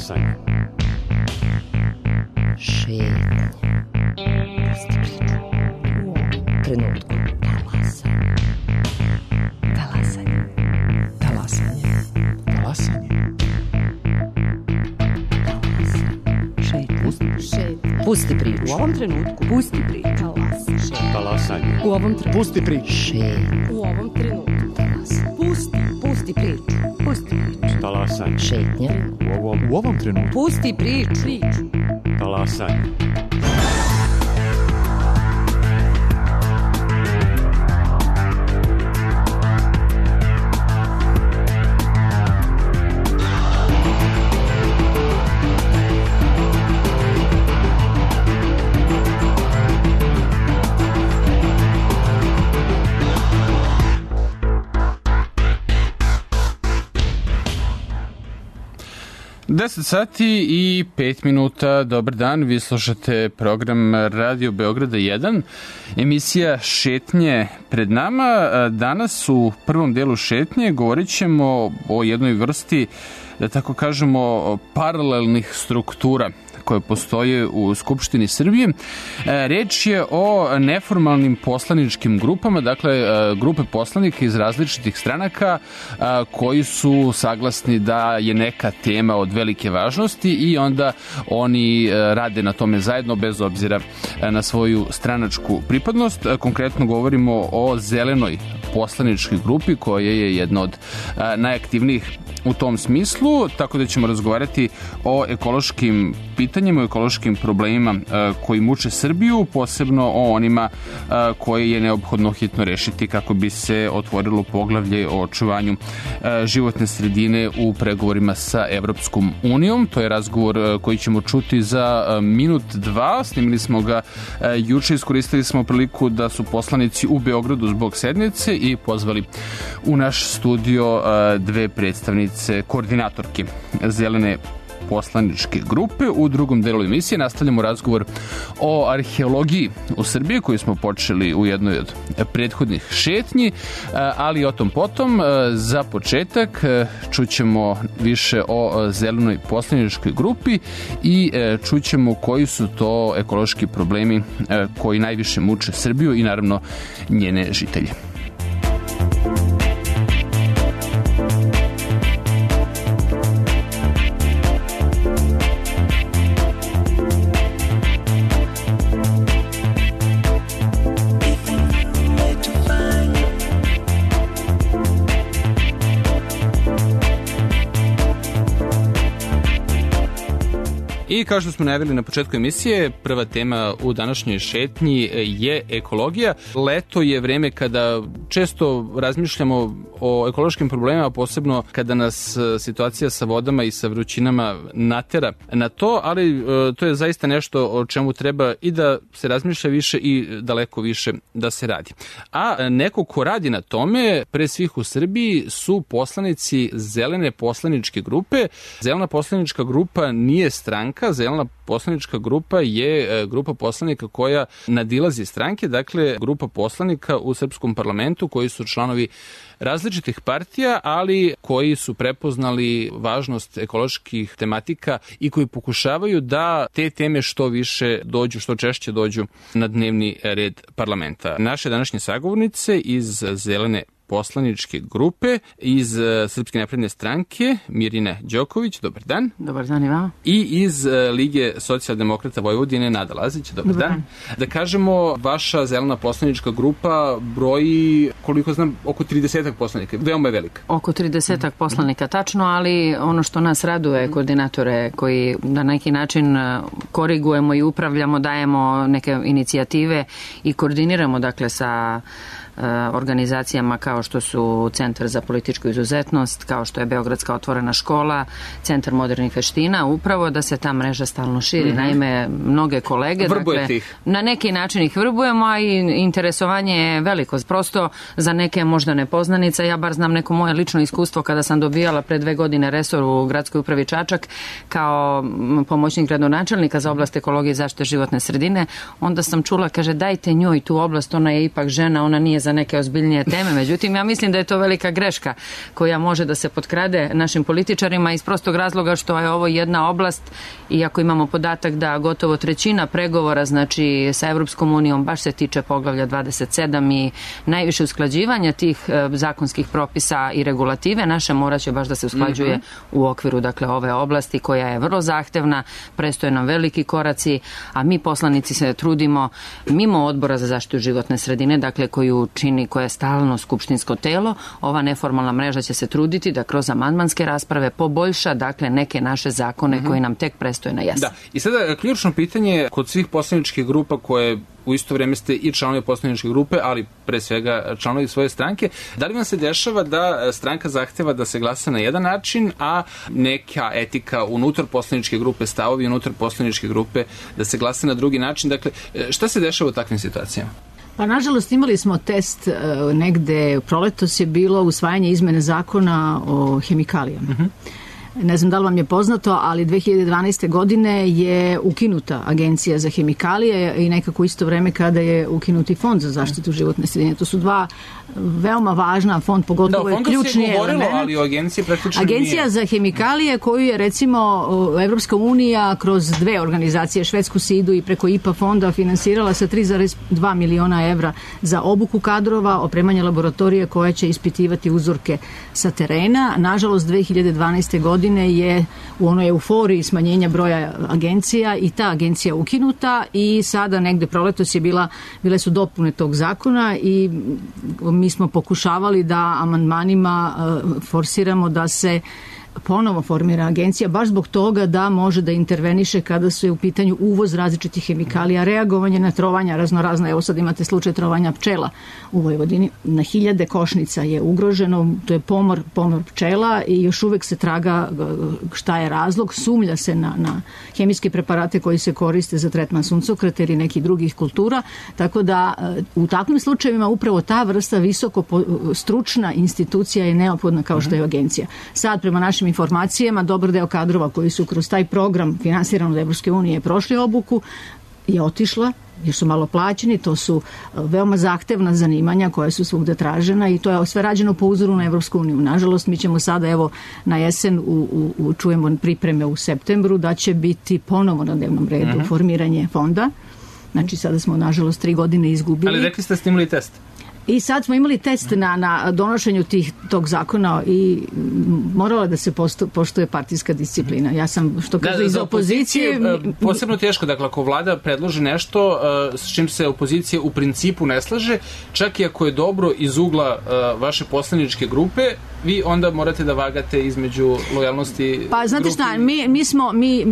Talasanje. Šetnje. Pusti priču. U ovom trenutku. Talasanje. Talasanje. Talasanje. Pusti priču. U ovom trenutku. Pusti priču. Talasanje. U ovom trenutku. Pusti priču. Šetnje. U ovom trenutku. Pusti priču. Pusti priču. Talasanje. Šetnje. U ovom trenutku. Pusti priču. Talasanje. Deset sati i 5 minuta, dobar dan, vi slušate program Radio Beograda 1, emisija Šetnje pred nama. Danas u prvom delu Šetnje govorit ćemo o jednoj vrsti, da tako kažemo, paralelnih struktura koje postoje u Skupštini Srbije. Reč je o neformalnim poslaničkim grupama, dakle grupe poslanika iz različitih stranaka koji su saglasni da je neka tema od velike važnosti i onda oni rade na tome zajedno bez obzira na svoju stranačku pripadnost. Konkretno govorimo o Zelenoj poslaničkoj grupi koja je jedna od najaktivnijih u tom smislu, tako da ćemo razgovarati o ekološkim pitanjima, o ekološkim problemima koji muče Srbiju, posebno o onima koje je neophodno hitno rešiti kako bi se otvorilo poglavlje o očuvanju životne sredine u pregovorima sa Evropskom unijom. To je razgovor koji ćemo čuti za minut, dva. Snimili smo ga juče, iskoristili smo priliku da su poslanici u Beogradu zbog sednice i pozvali u naš studio dve predstavnice koordinatorke Zelene poslaničke grupe. U drugom delu emisije nastavljamo razgovor o arheologiji u Srbiji koju smo počeli u jednoj od prethodnih šetnji, ali o tom potom. Za početak čućemo više o Zelenoj poslaničkoj grupi i čućemo koji su to ekološki problemi koji najviše muče Srbiju i naravno njene žitelje. I kao što smo najavili na početku emisije, prva tema u današnjoj šetnji je ekologija. Leto je vreme kada često razmišljamo o ekološkim problemima, posebno kada nas situacija sa vodama i sa vrućinama natera na to, ali to je zaista nešto o čemu treba i da se razmišlja više i daleko više da se radi. A neko ko radi na tome, pre svih u Srbiji, su poslanici Zelene poslaničke grupe. Zelena poslanička grupa nije stranka, Zelena poslanička grupa je grupa poslanika koja nadilazi stranke, dakle grupa poslanika u srpskom parlamentu koji su članovi različitih partija, ali koji su prepoznali važnost ekoloških tematika i koji pokušavaju da te teme što više dođu, što češće dođu na dnevni red parlamenta. Naše današnje sagovornice iz Zelene poslaničke grupe iz Srpske napredne stranke, Mirina Đoković, dobar dan. Dobar dan i vama. I iz Lige socijaldemokrata Vojvodine, Nada Lazić, dobar dan. Da kažemo, vaša Zelena poslanička grupa broji, koliko znam, oko 30 poslanika, veoma je velika. Oko 30 poslanika, tačno, ali ono što nas raduje, koordinatore koji na neki način korigujemo i upravljamo, dajemo neke inicijative i koordiniramo, dakle, sa organizacijama kao što su Centar za političku izuzetnost, kao što je Beogradska otvorena škola, Centar modernih veština, upravo da se ta mreža stalno širi. Naime, mnoge kolege, dakle, na neki način ih vrbujemo, a i interesovanje je veliko. Prosto za neke možda nepoznanica, ja bar znam neko moje lično iskustvo kada sam dobijala pre 2 godine resor u gradskoj upravi Čačak kao pomoćnik gradonačelnika za oblast ekologije i zaštite životne sredine, onda sam čula, kaže, dajte njoj tu oblast, ona je ipak žena, ona nije za za neke ozbiljnije teme. Međutim, ja mislim da je to velika greška koja može da se potkrade našim političarima iz prostog razloga što je ovo jedna oblast, iako imamo podatak da gotovo trećina pregovora, znači sa Evropskom unijom, baš se tiče poglavlja 27 i najviše usklađivanja tih zakonskih propisa i regulative naše morat će baš da se usklađuje u okviru, dakle, ove oblasti koja je vrlo zahtevna, prestoje nam veliki koraci, a mi poslanici se trudimo mimo Odbora za zaštitu životne sredine, dakle, koju čini, koja je stalno skupštinsko telo, ova neformalna mreža će se truditi da kroz amandmanske rasprave poboljša, dakle, neke naše zakone koji nam tek prestoje na jesen. Da, i sada ključno pitanje kod svih poslaničkih grupa koje u isto vreme ste i članovi poslaničke grupe, ali pre svega članovi svoje stranke, da li vam se dešava da stranka zahteva da se glasa na jedan način, a neka etika unutar poslaničke grupe, stavovi unutar poslaničke grupe da se glasa na drugi način? Dakle, šta se dešava u takvim situacijama? Pa nažalost imali smo test negde, proletos je bilo usvajanje izmene zakona o hemikalijama. Ne znam da li vam je poznato, ali 2012. godine je ukinuta Agencija za hemikalije i nekako isto vreme kada je ukinuti Fond za zaštitu životne sredine. To su dva veoma važna, fond pogotovo je ključni element. Ali o agenciji praktično Agencija za hemikalije koju je recimo Evropska unija kroz dve organizacije, švedsku SIDU i preko IPA fonda finansirala sa 3,2 miliona evra za obuku kadrova, opremanje laboratorije koja će ispitivati uzorke sa terena. Nažalost, 2012. godine je u onoj euforiji smanjenja broja agencija i ta agencija ukinuta i sada negde proletos je bile su dopune tog zakona i mi smo pokušavali da amandmanima forsiramo da se ponovo formira agencija, baš zbog toga da može da interveniše kada su je u pitanju uvoz različitih hemikalija, reagovanje na trovanja raznorazna. Evo sad imate slučaj trovanja pčela u Vojvodini. Na 1000 košnica je ugroženo, to je pomor pčela i još uvek se traga šta je razlog. Sumnja se na hemijske preparate koji se koriste za tretman suncokreta ili nekih drugih kultura, tako da u takvim slučajevima upravo ta vrsta visoko stručna institucija je neophodna kao što je agencija. Sad, prema našim informacijama, dobar deo kadrova koji su kroz taj program finansiran od Evropske unije prošli obuku je otišla jer su malo plaćeni, to su veoma zahtevna zanimanja koja su svugde tražena i to je sve rađeno po uzoru na Evropsku uniju. Nažalost, mi ćemo sada evo na jesen čujemo pripreme u septembru da će biti ponovo na dnevnom redu formiranje fonda. Znači sada smo nažalost 3 godine izgubili. Ali rekli ste ste imali test. I sad smo imali test na donošenju tog zakona i morala da se poštuje partijska disciplina. Ja sam, što kaže, iz opozicije... Posebno teško, dakle, ako vlada predloži nešto s čim se opozicija u principu ne slaže, čak i ako je dobro iz ugla vaše poslaničke grupe, vi onda morate da vagate između lojalnosti... Pa znate šta,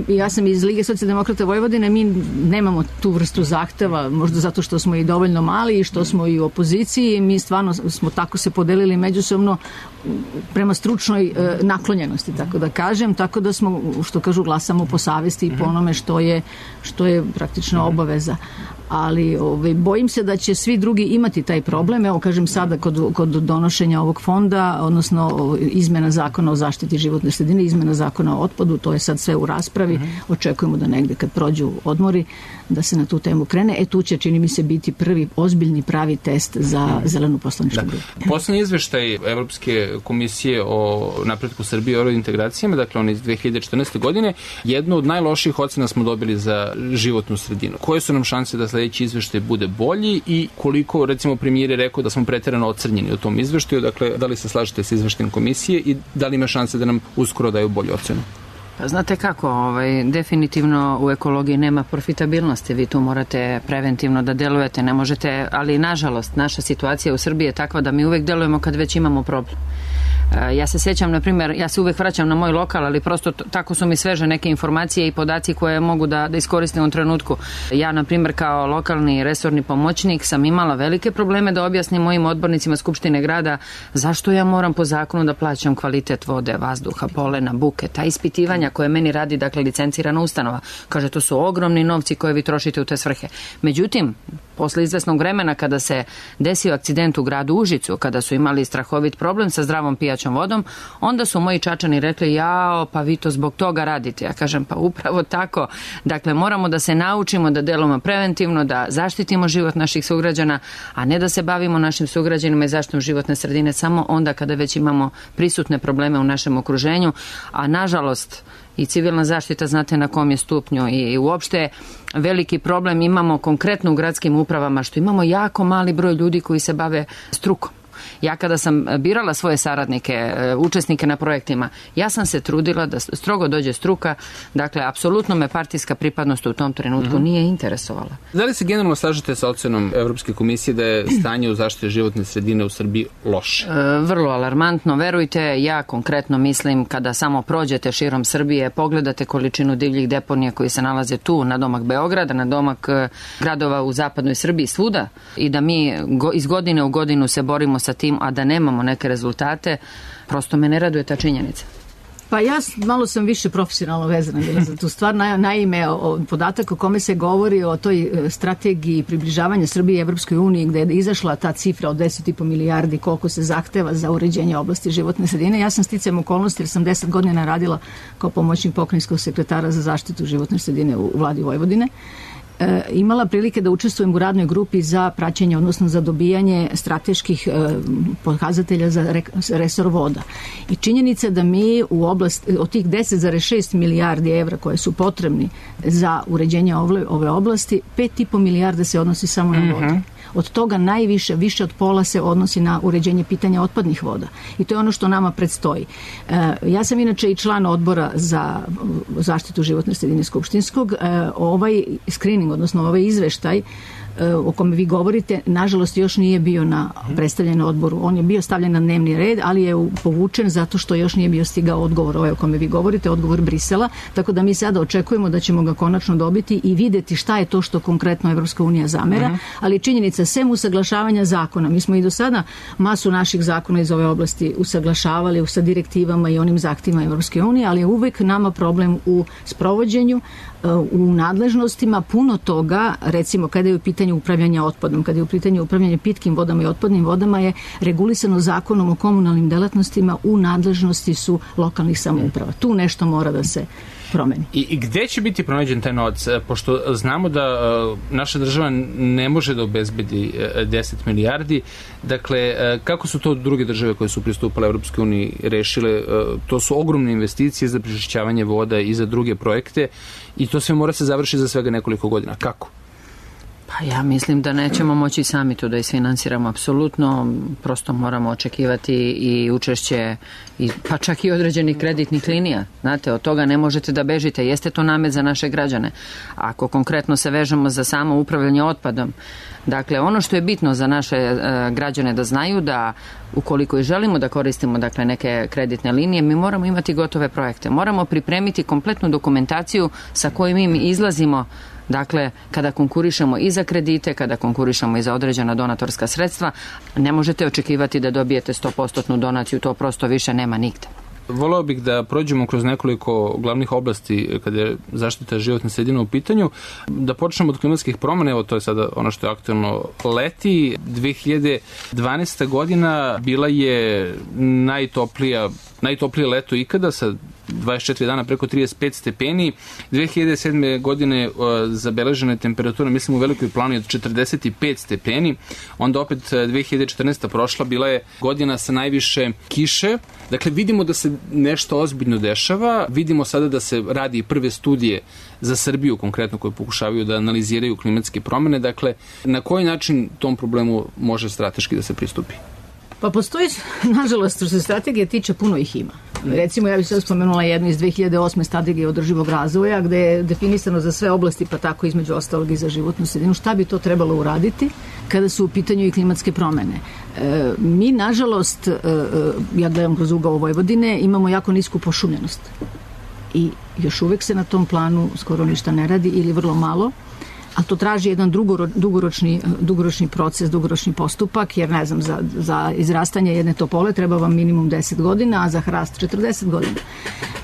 ja sam iz Lige socijaldemokrata Vojvodine, mi nemamo tu vrstu zahteva, možda zato što smo i dovoljno mali i što smo i u opoziciji, mi stvarno smo tako se podelili međusobno prema stručnoj naklonjenosti, tako da kažem, tako da smo, što kažu, glasamo po savesti i po onome što je praktično obaveza. Ali bojim se da će svi drugi imati taj problem. Evo, kažem, sada kod donošenja ovog fonda, odnosno izmena zakona o zaštiti životne sredine, izmena zakona o otpadu, to je sad sve u raspravi. Očekujemo da negde kad prođu odmori da se na tu temu krene. Tu će, čini mi se, biti prvi ozbiljni pravi test za zelenu poslaničku grupu. Poslednji izveštaj Evropske komisije o napretku Srbije i eurointegracijama, dakle on iz 2014. godine, jednu od najlošijih ocena smo dobili za životnu sredinu. Koje su nam šanse da sledeći izveštaj bude bolji i koliko, recimo, premijer je rekao da smo preterano ocrnjeni u tom izveštaju, dakle, da li se slažete sa izveštajem komisije i da li ima šanse da nam uskoro daju bolju ocenu? Pa znate kako, definitivno u ekologiji nema profitabilnosti, vi tu morate preventivno da delujete, ne možete, ali nažalost naša situacija u Srbiji je takva da mi uvek delujemo kad već imamo problem. Ja se sjećam, na primjer, ja se uvek vraćam na moj lokal, ali prosto tako su mi sveže neke informacije i podaci koje mogu da iskoristim u trenutku. Ja, na primjer, kao lokalni resorni pomoćnik sam imala velike probleme da objasnim mojim odbornicima Skupštine grada zašto ja moram po zakonu da plaćam kvalitet vode, vazduha, polena, buke, ta ispitivanja koje meni radi, dakle, licencirana ustanova. Kaže, to su ogromni novci koje vi trošite u te svrhe. Međutim, Posle izvesnog vremena kada se desio akcident u gradu Užicu, kada su imali strahovit problem sa zdravom pijaćom vodom, onda su moji Čačani rekli, jao, pa vi to zbog toga radite. Ja kažem, pa upravo tako. Dakle, moramo da se naučimo da delujemo preventivno, da zaštitimo život naših sugrađana, a ne da se bavimo našim sugrađanima i zaštitom životne sredine samo onda kada već imamo prisutne probleme u našem okruženju, a nažalost i civilna zaštita znate na kom je stupnju i uopšte veliki problem imamo konkretno u gradskim upravama što imamo jako mali broj ljudi koji se bave strukom. Ja kada sam birala svoje saradnike, učesnike na projektima, ja sam se trudila da strogo dođe struka, dakle, apsolutno me partijska pripadnost u tom trenutku nije interesovala. Da li se generalno slažete sa ocenom Evropske komisije da je stanje u zaštiti životne sredine u Srbiji loše? Vrlo alarmantno, verujte, ja konkretno mislim kada samo prođete širom Srbije, pogledate količinu divljih deponija koji se nalaze tu, na domak Beograda, na domak gradova u zapadnoj Srbiji, svuda, i da mi iz godine u godinu se borimo sa tim, a da nemamo neke rezultate, prosto me ne raduje ta činjenica. Pa ja malo sam više profesionalno vezana bila za tu stvar. Naime, podatak o kome se govori o toj strategiji približavanja Srbije Evropskoj uniji, gde je izašla ta cifra od 10,5 milijardi koliko se zahteva za uređenje oblasti životne sredine. Ja sam sticajem okolnosti jer sam 10 godina radila kao pomoćnik pokrajinskog sekretara za zaštitu životne sredine u vladi Vojvodine. Imala prilike da učestvujem u radnoj grupi za praćenje, odnosno za dobijanje strateških pokazatelja za resor voda. I činjenica da mi u oblasti, od tih 10,6 milijardi evra koje su potrebni za uređenje ove oblasti, 5,5 milijarda se odnosi samo na vodu. Od toga najviše, više od pola se odnosi na uređenje pitanja otpadnih voda. I to je ono što nama predstoji. Ja sam inače i član odbora za zaštitu životne sredine skupštinskog. Ovaj screening, odnosno ovaj izveštaj o kome vi govorite, nažalost još nije bio predstavljen na odboru. On je bio stavljen na dnevni red, ali je povučen zato što još nije bio stigao odgovor o kome vi govorite, odgovor Brisela, tako da mi sada očekujemo da ćemo ga konačno dobiti i videti šta je to što konkretno Evropska unija zamera, ali činjenica, sem usaglašavanja zakona, mi smo i do sada masu naših zakona iz ove oblasti usaglašavali sa direktivama i onim zahtjevima Evropske unije, ali je uvek nama problem u sprovođenju, u nadležnostima, puno toga, recimo kada je u pitanju upravljanja otpadom, kada je u pitanju upravljanja pitkim vodama i otpadnim vodama, je regulisano zakonom o komunalnim delatnostima, u nadležnosti su lokalnih samouprava. Tu nešto mora da se promeni. I gde će biti pronađen taj novac? Pošto znamo da naša država ne može da obezbedi 10 milijardi, dakle, kako su to druge države koje su pristupale Evropske unije rešile? To su ogromne investicije za prečišćavanje voda i za druge projekte i to sve mora se završiti za svega nekoliko godina. Kako? Pa ja mislim da nećemo moći sami to da isfinansiramo apsolutno, prosto moramo očekivati i učešće, pa čak i određenih kreditnih linija. Znate, od toga ne možete da bežite, jeste to namet za naše građane. Ako konkretno se vežemo za samo upravljanje otpadom, dakle, ono što je bitno za naše građane da znaju da ukoliko i želimo da koristimo dakle, neke kreditne linije, mi moramo imati gotove projekte. Moramo pripremiti kompletnu dokumentaciju sa kojom mi izlazimo. Dakle, kada konkurišemo i za kredite, kada konkurišemo i za određena donatorska sredstva, ne možete očekivati da dobijete 100% donaciju, to prosto više nema nigde. Voleo bih da prođemo kroz nekoliko glavnih oblasti kada je zaštita životne sredine u pitanju. Da počnemo od klimatskih promjena, evo to je sada ono što je aktuelno leti. 2012. godina bila je najtoplije leto ikada sa 24 dana preko 35 stepeni. 2007. godine zabeležena je temperatura, mislim u Velikoj Plani, od 45 stepeni. Onda opet 2014. prošla, bila je godina sa najviše kiše. Dakle, vidimo da se nešto ozbiljno dešava. Vidimo sada da se radi i prve studije za Srbiju konkretno koje pokušavaju da analiziraju klimatske promjene. Dakle, na koji način tom problemu može strateški da se pristupi? Pa postoji, nažalost, što se strategije tiče, puno ih ima. Recimo, ja bih sad spomenula jednu iz 2008. strategije održivog razvoja, gde je definisano za sve oblasti, pa tako između ostalog i za životnu sredinu, šta bi to trebalo uraditi kada su u pitanju i klimatske promene. Mi, nažalost, ja gledam kroz ugao Vojvodine, imamo jako nisku pošumljenost. I još uvek se na tom planu skoro ništa ne radi ili vrlo malo. a to traži jedan dugoročni proces, dugoročni postupak, jer ne znam, za izrastanje jedne topole treba vam minimum 10 godina, a za hrast 40 godina.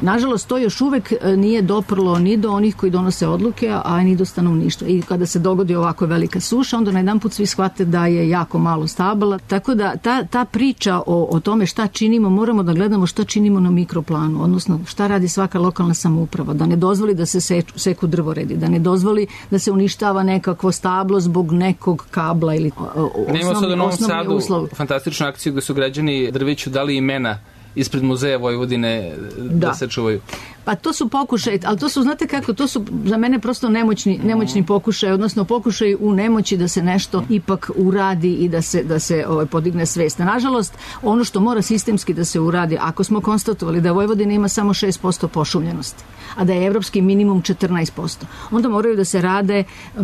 Nažalost, to još uvek nije doprlo ni do onih koji donose odluke, a ni do stanovništva. I kada se dogodi ovako velika suša, onda na jedan put svi shvate da je jako malo stabala. Tako da ta priča o tome šta činimo, moramo da gledamo šta činimo na mikroplanu, odnosno šta radi svaka lokalna samouprava, da ne dozvoli da se seku drvoredi, da ne dozvoli da se uništava nekakvo stablo zbog nekog kabla ili osnovni uslov. Fantastičnu akciju gde su građani drveću dali imena ispred muzeja Vojvodine da se čuvaju. Pa to su pokušaj, ali to su, znate kako, to su za mene prosto nemoćni pokušaj, odnosno pokušaj u nemoći da se nešto ipak uradi i da se podigne svest. Nažalost, ono što mora sistemski da se uradi, ako smo konstatovali da Vojvodina ima samo 6% pošumljenosti, a da je evropski minimum 14%, onda moraju da se rade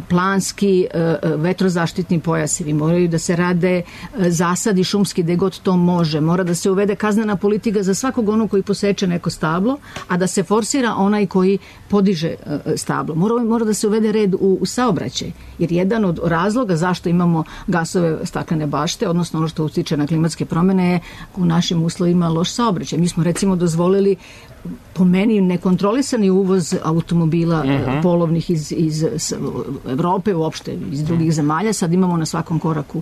planski vetrozaštitni pojasevi, moraju da se rade zasadi šumski gde god to može, mora da se uvede kaznena politika za svakog onog koji poseče neko stablo, a da se forsira onaj koji podiže stablo. Mora da se uvede red u saobraćaj, jer jedan od razloga zašto imamo gasove staklene bašte, odnosno ono što utiče na klimatske promene, je u našim uslovima loš saobraćaj. Mi smo recimo dozvolili, po meni, nekontrolisani uvoz automobila polovnih iz Evrope, uopšte iz drugih zemalja. Sad imamo na svakom koraku,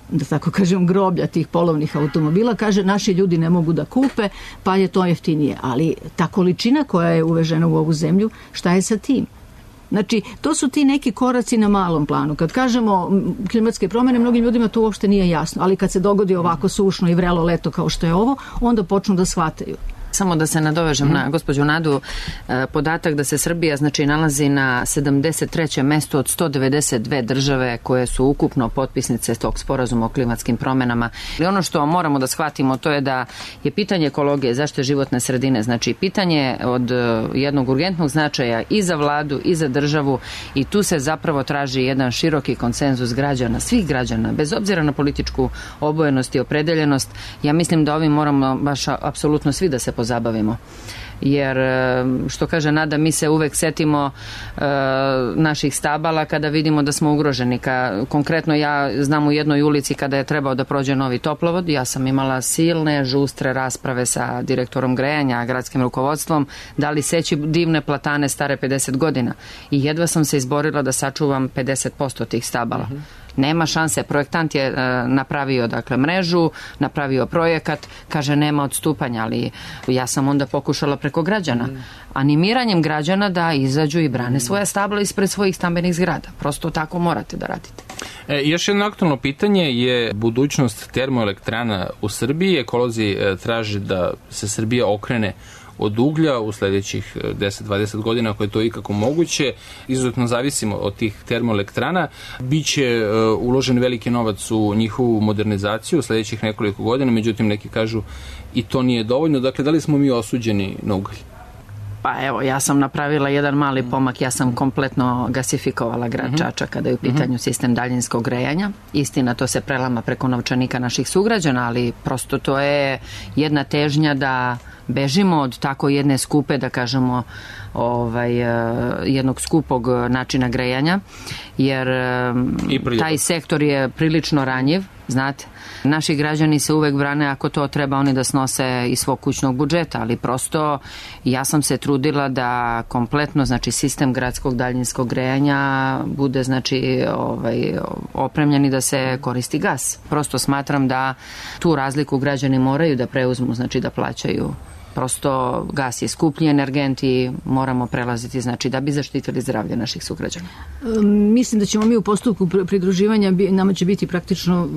da tako kažem, groblja tih polovnih automobila. Kaže, naši ljudi ne mogu da kupe, pa je to jeftinije. Ali ta količina koja je uvežena u ovu zemlju, šta je sa tim? Znači, to su ti neki koraci na malom planu. Kad kažemo klimatske promene, mnogim ljudima to uopšte nije jasno, ali kad se dogodi ovako sušno i vrelo leto kao što je ovo, onda počnu da shvataju. Samo da se nadovežem na gospođu Nadu, podatak da se Srbija nalazi na 73. mestu od 192 države koje su ukupno potpisnice tog sporazuma o klimatskim promenama. I ono što moramo da shvatimo, to je da je pitanje ekologije, zaštite životne sredine, znači pitanje od jednog urgentnog značaja i za vladu i za državu, i tu se zapravo traži jedan široki konsenzus građana, svih građana, bez obzira na političku obojenost i opredeljenost. Ja mislim da ovim moramo baš apsolutno svi da se pozabavimo. Jer, što kaže Nada, mi se uvek setimo naših stabala kada vidimo da smo ugroženi. Konkretno ja znam u jednoj ulici kada je trebao da prođe novi toplovod, ja sam imala silne, žustre rasprave sa direktorom grejanja, gradskim rukovodstvom, da li seći divne platane stare 50 godina. I jedva sam se izborila da sačuvam 50% tih stabala. Nema šanse. Projektant je napravio mrežu, napravio projekat, kaže nema odstupanja, ali ja sam onda pokušala preko građana, animiranjem građana da izađu i brane svoja stabla ispred svojih stambenih zgrada. Prosto tako morate da radite. Još jedno aktualno pitanje je budućnost termoelektrana u Srbiji. Ekolozi traže da se Srbija okrene od uglja u sledećih 10-20 godina, ako je to ikako moguće. Izuzetno zavisimo od tih termoelektrana. Biće uložen veliki novac u njihovu modernizaciju u sledećih nekoliko godina, međutim neki kažu i to nije dovoljno. Dakle, da li smo mi osuđeni na ugalj? Pa evo, ja sam napravila jedan mali pomak, ja sam kompletno gasifikovala grad Čačak kada je u pitanju sistem daljinskog grejanja. Istina, to se prelama preko novčanika naših sugrađana, ali prosto to je jedna težnja da bežimo od tako jedne skupe, da kažemo, jednog skupog načina grejanja, jer taj sektor je prilično ranjiv, znate. Naši građani se uvek brane ako to treba oni da snose iz svog kućnog budžeta, ali prosto ja sam se trudila da kompletno, znači, sistem gradskog daljinskog grejanja bude, znači, opremljen i da se koristi gas. Prosto smatram da tu razliku građani moraju da preuzmu, znači da plaćaju. Prosto gas je skuplji energent i moramo prelaziti, znači, da bi zaštitili zdravlje naših sugrađana. Mislim da ćemo mi u postupku pridruživanja, nama će biti praktično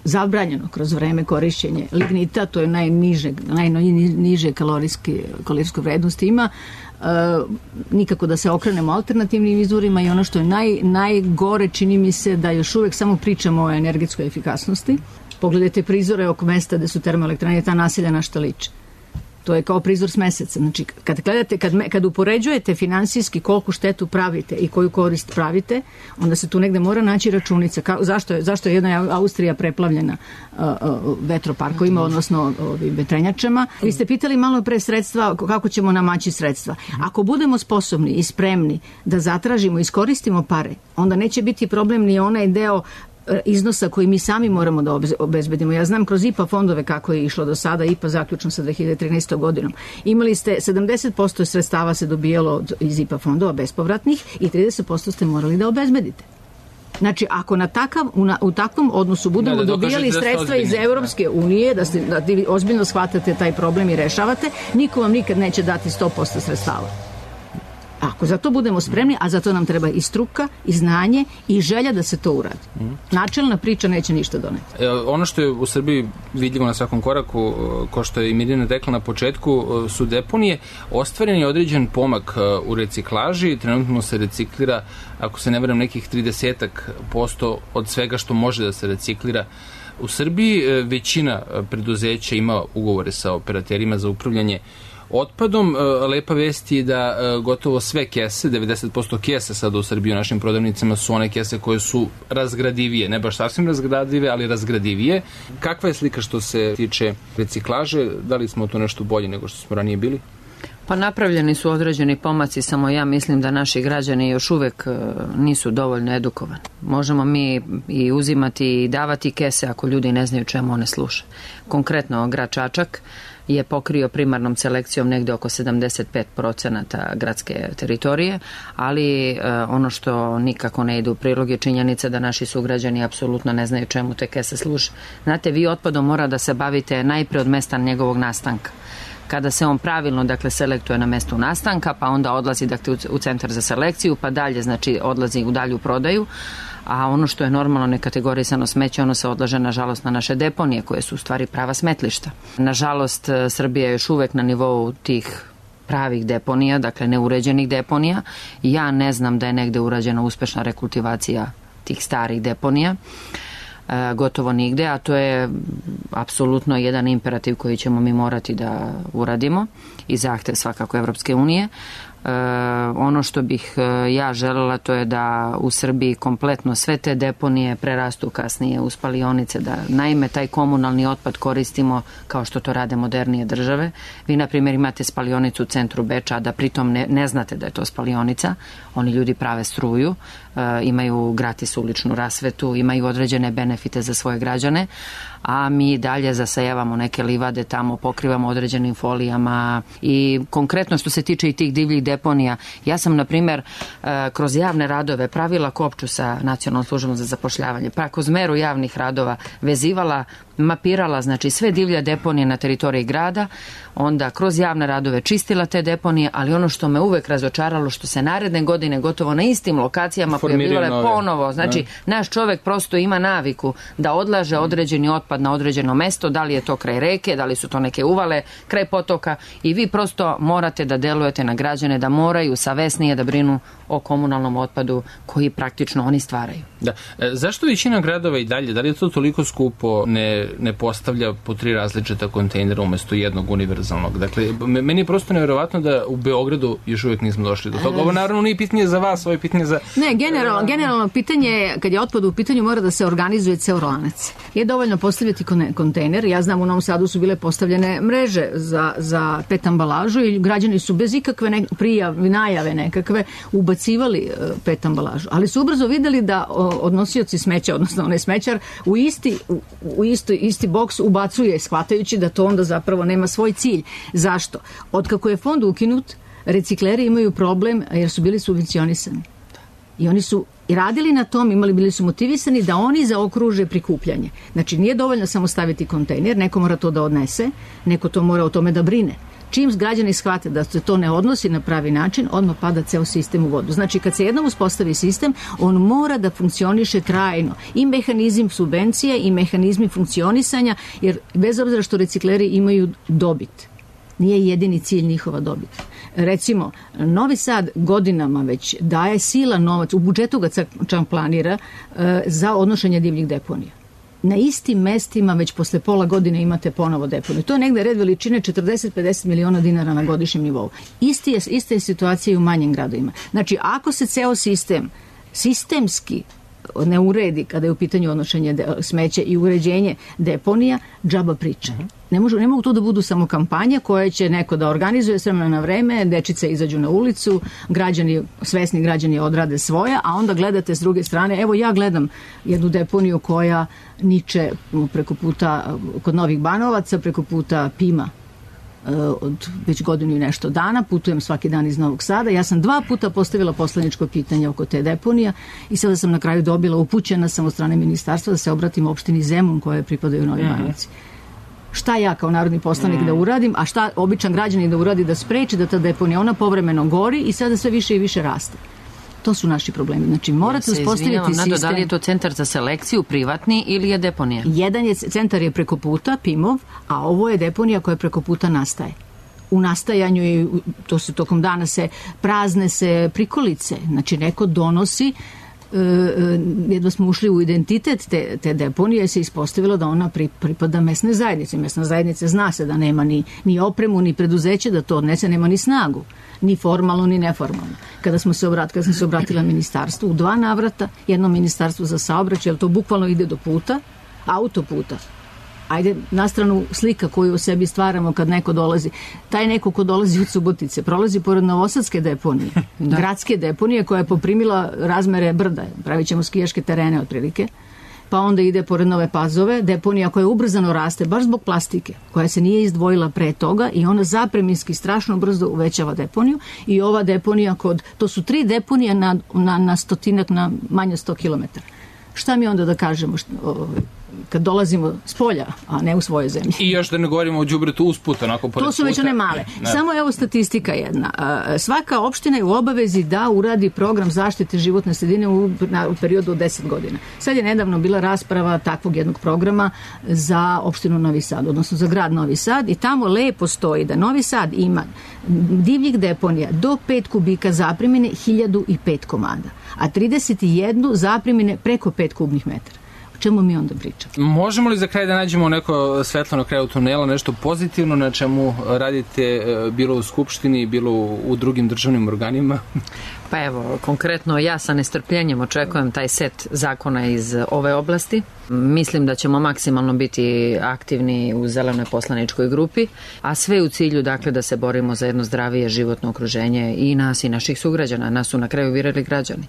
zabranjeno kroz vreme korišćenje lignita, to je najniže kalorijsku vrednost ima. Nikako da se okrenemo alternativnim izvorima i ono što je najgore, čini mi se da još uvek samo pričamo o energetskoj efikasnosti. Pogledajte prizore oko mesta gde su termoelektrane, ta naselja na šta liče. To je kao prizor s meseca. Znači, kad gledate, kad upoređujete finansijski koliko štetu pravite i koju korist pravite, onda se tu negde mora naći računica. Zašto je jedna Austrija preplavljena vetroparkovima, odnosno vetrenjačama? Vi ste pitali malo pre sredstva, kako ćemo namaći sredstva. Ako budemo sposobni i spremni da zatražimo i iskoristimo pare, onda neće biti problem ni onaj deo iznosa koji mi sami moramo da obezbedimo. Ja znam kroz IPA fondove kako je išlo do sada, IPA zaključno sa 2013. godinom. Imali ste 70% sredstava se dobijalo iz IPA fondova bespovratnih i 30% ste morali da obezbedite. Znači, ako u takvom odnosu budemo dobijali sredstva iz Evropske unije, da vi ozbiljno shvatate taj problem i rešavate, niko vam nikad neće dati 100% sredstava. Ako za to budemo spremni, a za to nam treba i struka, i znanje, i želja da se to uradi. Načelna priča neće ništa doneti. Ono što je u Srbiji vidljivo na svakom koraku, kao što je i Mirjana rekla na početku, su deponije. Ostvaren je određen pomak u reciklaži. Trenutno se reciklira, ako se ne varam, nekih 30% od svega što može da se reciklira u Srbiji. Većina preduzeća ima ugovore sa operaterima za upravljanje otpadom. Lepa vest je da gotovo sve kese, 90% kese sada u Srbiji u našim prodavnicama su one kese koje su razgradivije, ne baš sasvim razgradive, ali razgradivije. Kakva je slika što se tiče reciklaže? Da li smo to nešto bolje nego što smo ranije bili? Pa napravljeni su određeni pomaci, samo ja mislim da naši građani još uvek nisu dovoljno edukovani. Možemo mi i uzimati i davati kese ako ljudi ne znaju čemu one služe. Konkretno, grad Čačak je pokrio primarnom selekcijom negde oko 75% gradske teritorije, ali ono što nikako ne ide u prilog je činjenica da naši sugrađani apsolutno ne znaju čemu te kese služe. Znate, vi otpadom mora da se bavite najpre od mesta njegovog nastanka. Kada se on pravilno, dakle, selektuje na mestu nastanka, pa onda odlazi, dakle, u centar za selekciju, pa dalje, znači, odlazi u dalju prodaju, a ono što je normalno nekategorisano smeće, ono se odlaže, nažalost, na naše deponije, koje su u stvari prava smetlišta. Nažalost, Srbija je još uvek na nivou tih pravih deponija, dakle, neuređenih deponija. Ja ne znam da je negde urađena uspešna rekultivacija tih starih deponija. Gotovo nigde, a to je apsolutno jedan imperativ koji ćemo mi morati da uradimo i zahtev svakako Evropske unije. Ono što bih ja želela, to je da u Srbiji kompletno sve te deponije prerastu kasnije u spalionice, da naime taj komunalni otpad koristimo kao što to rade modernije države. Vi, na primjer, imate spalionicu u centru Beča, a da pritom ne znate da je to spalionica. Oni ljudi prave struju, imaju gratis uličnu rasvetu, imaju određene benefite za svoje građane, a mi dalje zasejavamo neke livade tamo, pokrivamo određenim folijama. I konkretno što se tiče i tih divljih deponija, ja sam, na primjer, kroz javne radove pravila kopču sa Nacionalnom službom za zapošljavanje, pa kroz meru javnih radova vezivala, mapirala, znači, sve divlje deponije na teritoriji grada, onda kroz javne radove čistila te deponije, ali ono što me uvek razočaralo, što se naredne godine gotovo na istim lokacijama pojavljivale ponovo. Znači, naš čovek prosto ima naviku da odlaže određeni otpad na određeno mesto, da li je to kraj reke, da li su to neke uvale, kraj potoka, i vi prosto morate da delujete na građane, da moraju savesnije da brinu o komunalnom otpadu koji praktično oni stvaraju. Da. Zašto većina gradova i dalje, da li je to toliko skupo, ne postavlja po 3 različita kontejnera umesto jednog univerzalnog? Dakle, meni je prosto nevjerovatno da u Beogradu još uvijek nismo došli do toga. Ovo naravno nije pitanje za vas, ovo je pitanje za... Ne, generalno pitanje je, kad je otpad u pitanju, mora da se organizuje ceo lanac. Je dovoljno postavljati kontejner. Ja znam, u Novom Sadu su bile postavljene mreže za PET ambalažu i građani su bez ikakve najave nekakve ubacivali PET ambalažu. Ali su ubrzo videli da odnosioci smeća, odnosno onaj smećar, u isti boks ubacuje, shvatajući da to onda zapravo nema svoj cilj. Zašto? Otkako je fond ukinut, recikleri imaju problem jer su bili subvencionisani. I oni su radili na tom, bili su motivisani da oni zaokruže prikupljanje. Znači, nije dovoljno samo staviti kontejner, neko mora to da odnese, neko to mora o tome da brine. Čim građani shvate da se to ne odnosi na pravi način, odmah pada ceo sistem u vodu. Znači, kad se jednom uspostavi sistem, on mora da funkcioniše trajno. I mehanizam subvencije i mehanizmi funkcionisanja, jer bez obzira što recikleri imaju dobit, nije jedini cilj njihova dobit. Recimo, Novi Sad godinama već daje silan novac, u budžetu ga čak planira, za odnošenje divljih deponija. na istim mestima već posle pola godine imate ponovo deponiju. To je negde red veličine 40-50 miliona dinara na godišnjem nivou. Ista je situacija i u manjim gradovima. Znači, ako se ceo sistem sistemski ne uredi kada je u pitanju odnošenje smeća i uređenje deponija, džaba priča. Ne mogu to da budu samo kampanje koje će neko da organizuje s vremena na vreme, dečice izađu na ulicu, svesni građani odrade svoja, a onda gledate s druge strane. Evo ja gledam jednu deponiju koja niče preko puta kod Novih Banovaca, preko puta Pima od već godinu i nešto dana, putujem svaki dan iz Novog Sada. Ja sam 2 puta postavila poslaničko pitanje oko te deponija i sada sam na kraju dobila, upućena sam od strane ministarstva da se obratim opštini Zemun koje pripadaju Novi Banovaci. Šta ja kao narodni poslanik da uradim, a šta običan građanin da uradi da spreči da ta deponija, ona povremeno gori i sada sve više i više raste. To su naši problemi. Znači, morate uspostaviti sistem. Da li je to centar za selekciju, privatni ili je deponija? Centar je preko puta, Pimov, a ovo je deponija koja preko puta nastaje. U nastajanju i to se tokom dana prazne se prikolice. Znači, neko donosi, jedva smo ušli u identitet te deponije, se ispostavilo da ona pripada mesnoj zajednici. Mesna zajednica zna se da nema ni opremu, ni preduzeće da to odnese, nema ni snagu. Ni formalno, ni neformalno. Kada sam se obratila ministarstvu u 2 navrata, jedno ministarstvo za saobraćaj, jer to bukvalno ide do puta, autoputa. Ajde, na stranu slika koju u sebi stvaramo kad neko dolazi. Taj neko ko dolazi od Subotice, prolazi pored novosadske deponije, gradske deponije koja je poprimila razmere brda. Pravit ćemo skijaške terene otprilike. Pa onda ide pored Nove Pazove, deponija koja ubrzano raste, baš zbog plastike, koja se nije izdvojila pre toga i ona zapreminski strašno brzo uvećava deponiju i ova deponija to su 3 deponije na stotinak, na manje 100 km. Šta mi onda da kažemo kad dolazimo s polja, a ne u svojoj zemlji? I još da ne govorimo o đubretu usput, onako pored puta. To su već one male. Samo evo statistika jedna. Svaka opština je u obavezi da uradi program zaštite životne sredine u periodu od 10 godina. Sad je nedavno bila rasprava takvog jednog programa za opštinu Novi Sad, odnosno za grad Novi Sad i tamo lepo stoji da Novi Sad ima divljih deponija do 5 kubika zaprimine 1005 komada, a 31 zaprimine preko 5 kubnih metara. O čemu mi onda pričamo? Možemo li za kraj da nađemo neko svetlo na kraju tunela, nešto pozitivno na čemu radite bilo u Skupštini, bilo u drugim državnim organima? Pa evo, konkretno ja sa nestrpljenjem očekujem taj set zakona iz ove oblasti. Mislim da ćemo maksimalno biti aktivni u zelenoj poslaničkoj grupi, a sve u cilju dakle da se borimo za jedno zdravije životno okruženje i nas i naših sugrađana. Nas su na kraju birali građani.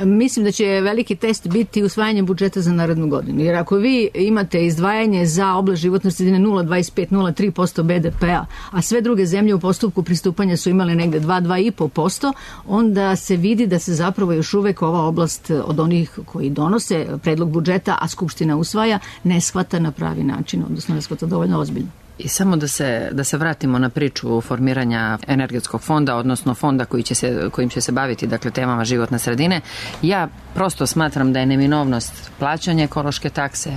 Mislim da će veliki test biti usvajanje budžeta za narednu godinu. Jer ako vi imate izdvajanje za oblast životne sredine 0,25-0,3% BDP-a, a sve druge zemlje u postupku pristupanja su imale negde 2-2,5%, onda se vidi da se zapravo još uvek ova oblast od onih koji donose predlog budžeta, a Skupština usvaja, ne shvata na pravi način, odnosno ne shvata dovoljno ozbiljno. I samo da se vratimo na priču formiranja energetskog fonda, odnosno fonda kojim će se baviti dakle temama životne sredine. Ja prosto smatram da je neminovnost plaćanja ekološke takse,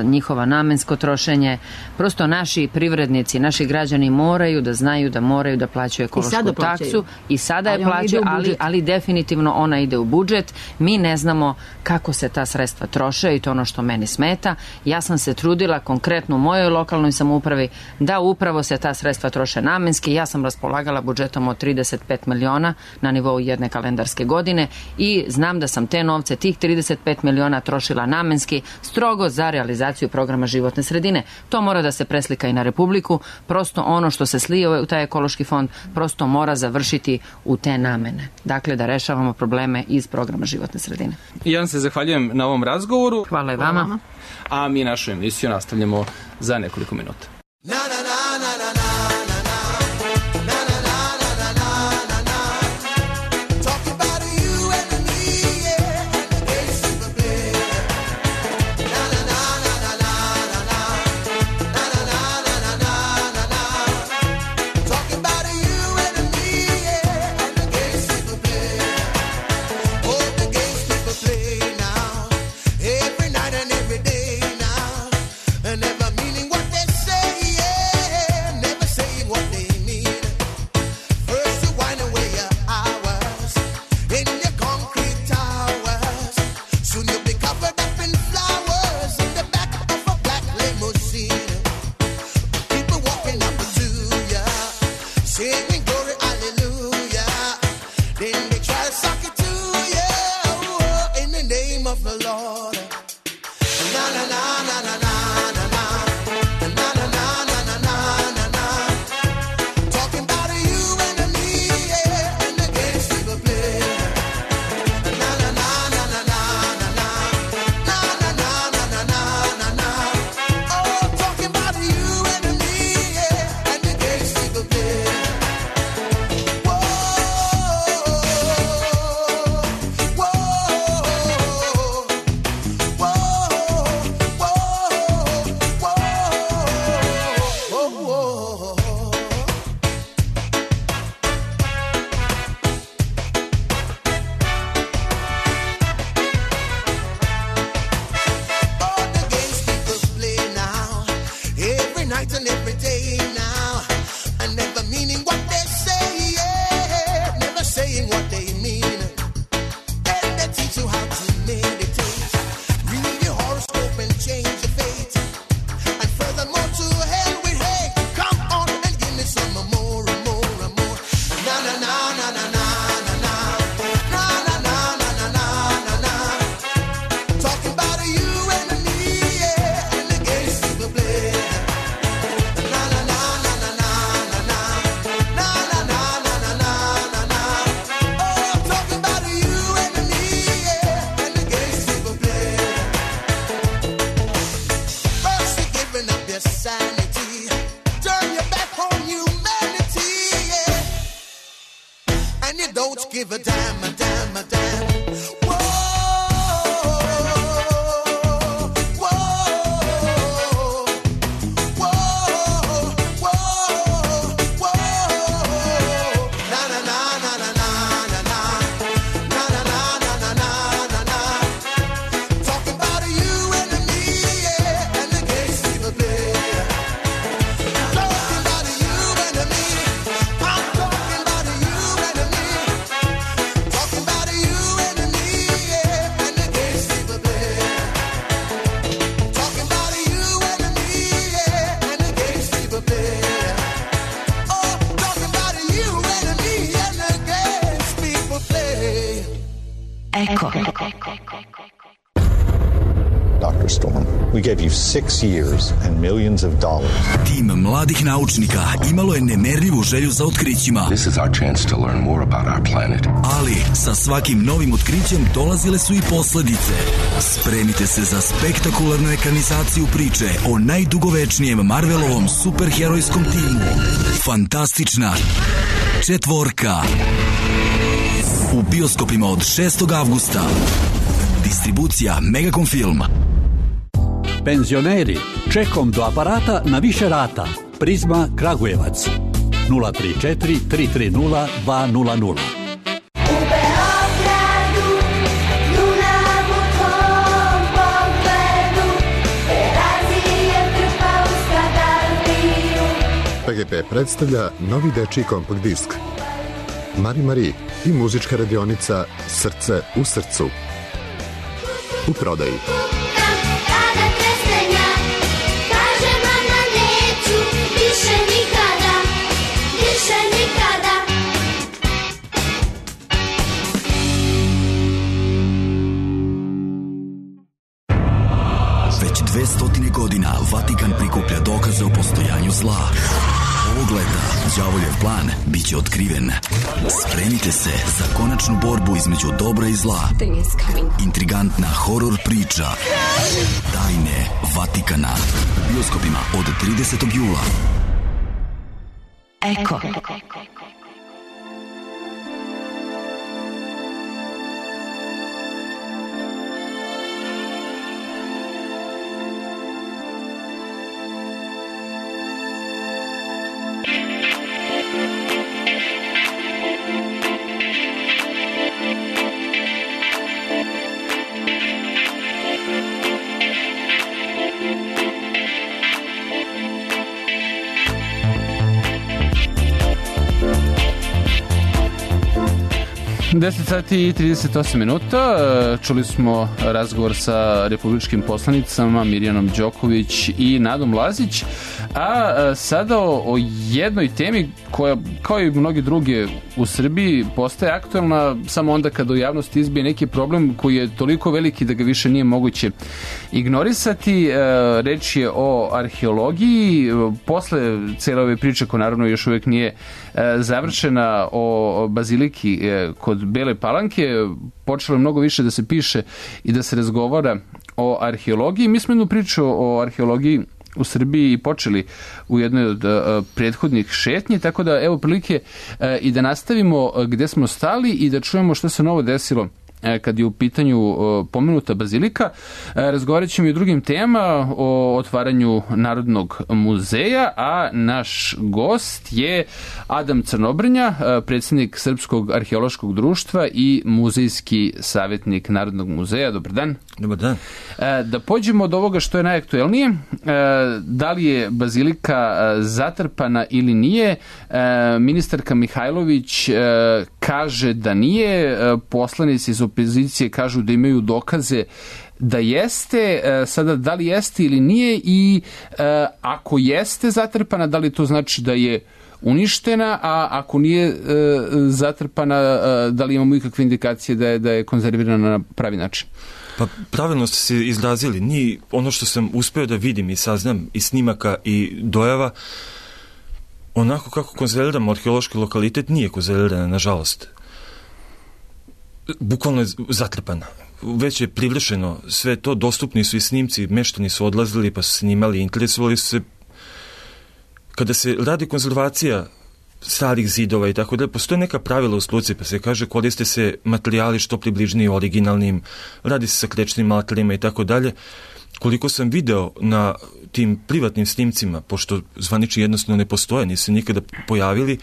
njihova namensko trošenje. Prosto naši privrednici, naši građani moraju da znaju da moraju da plaćaju ekološku taksu i sada je plaćaju, ali definitivno ona ide u budžet. Mi ne znamo kako se ta sredstva troše i to ono što meni smeta. Ja sam se trudila konkretno u mojoj lokalnoj samoupravi da upravo se ta sredstva troše namenski. Ja sam raspolagala budžetom od 35 miliona na nivou jedne kalendarske godine i znam da sam te novce, tih 35 miliona trošila namenski, strogo za realizaciju programa životne sredine. To mora da se preslika i na Republiku. Prosto ono što se slije u taj ekološki fond prosto mora završiti u te namene. Dakle, da rešavamo probleme iz programa životne sredine. Ja vam se zahvaljujem na ovom razgovoru. Hvala i vama. A mi našu emisiju nastavljamo za nekoliko minuta. Say night and every day now, and never meaning what they say, yeah, never saying what they mean. And they teach you how to meditate, read your horoscope and change your fate, and furthermore to hell with hate. Come on and give me some more and more and more. Na na na na na na na na na na na na na na na. Talking about you and me, yeah, and the games people play. Na na na na na na na na na na na na na na na. Oh, talking about you and me, yeah, and the games people play. First you're giving up your sanity, turn your back on humanity, yeah, and you don't give a damn, a damn, a damn. Whoa, whoa, whoa, whoa, whoa. Na na na na na na na na na na na na na na na. Talking about you and me, yeah, and the games people play. Talking about you and me, I'm talking about you and me. Talking about you and me, yeah, and the games people play. Talking about you and me, yeah, and the games people play. Oh, talking about you and me, and the games people play. Eko. Dr. Storm, we gave you 6 years and millions of dollars. Tim mladih naučnika imalo je nemerljivu želju za otkrićima. This is our chance to learn more about our planet. Ali sa svakim novim otkrićem dolazile su i posledice. Spremite se za spektakularnu ekranizaciju priče o najdugovečnijem Marvelovom superherojskom timu. Fantastična četvorka. U bioskopima od 6. avgusta. Distribucija Megacom Film. Penzioneri, čekom do aparata na više rata. Prizma Kragujevac 034 330 200. PGP predstavlja novi dečiji kompakt disk Mari Mari i muzička radionica Srce u srcu. U prodaji. Već 200 godina Vatikan prikuplja dokaze o postojanju zla. Ovog leta đavoljev plan biće otkriven. Spremite se za konačnu borbu između dobra i zla. Intrigantna horor priča Tajne Vatikana u bioskopima od 30. jula. Eko. Deset sati i 38 minuta. Čuli smo razgovor sa republičkim poslanicama Mirjanom Đoković i Nadom Lazić, a sada o jednoj temi koja, kao i mnogi druge u Srbiji, postaje aktualna samo onda kada u javnosti izbije neki problem koji je toliko veliki da ga više nije moguće ignorisati. Reč je o arheologiji. Posle cele ove priče, koja naravno još uvijek nije završena, o baziliki kod Bele Palanke, počelo je mnogo više da se piše i da se razgovara o arheologiji. Mi smo jednu priču o arheologiji u Srbiji počeli u jednoj od prethodnih šetnji, tako da evo prilike i da nastavimo gde smo stali i da čujemo što se novo desilo kad je u pitanju pomenuta bazilika. Razgovarat ćemo i o drugim temama, o otvaranju Narodnog muzeja, a naš gost je Adam Crnobrnja, predsjednik Srpskog arheološkog društva i muzejski savjetnik Narodnog muzeja. Dobar dan. Dobar dan. Da pođemo od ovoga što je najaktuelnije, da li je bazilika zatrpana ili nije. Ministarka Mihajlović kaže da nije, poslanici iz opozicije kažu da imaju dokaze da jeste. Sada, da li jeste ili nije i ako jeste zatrpana, da li to znači da je uništena, a ako nije zatrpana, da li imamo ikakve indikacije da je konzervirana na pravi način? Pa pravilno ste se izrazili. Ni ono što sam uspeo da vidim i saznam iz snimaka i dojava, onako kako konzerviramo arheološki lokalitet, nije konzervirana, nažalost. Bukvalno je zatrpana. Već je privršeno sve to, dostupni su i snimci, meštani su odlazili pa su snimali, interesovali su se. Kada se radi konzervacija starih zidova i tako da, postoje neka pravila u struci, pa se kaže koriste se materijali što približniji originalnim, radi se sa krečnim materijalima i tako dalje. Koliko sam video na tim privatnim snimcima, pošto zvanični jednostavno ne postoje, nisu se nikada pojavili,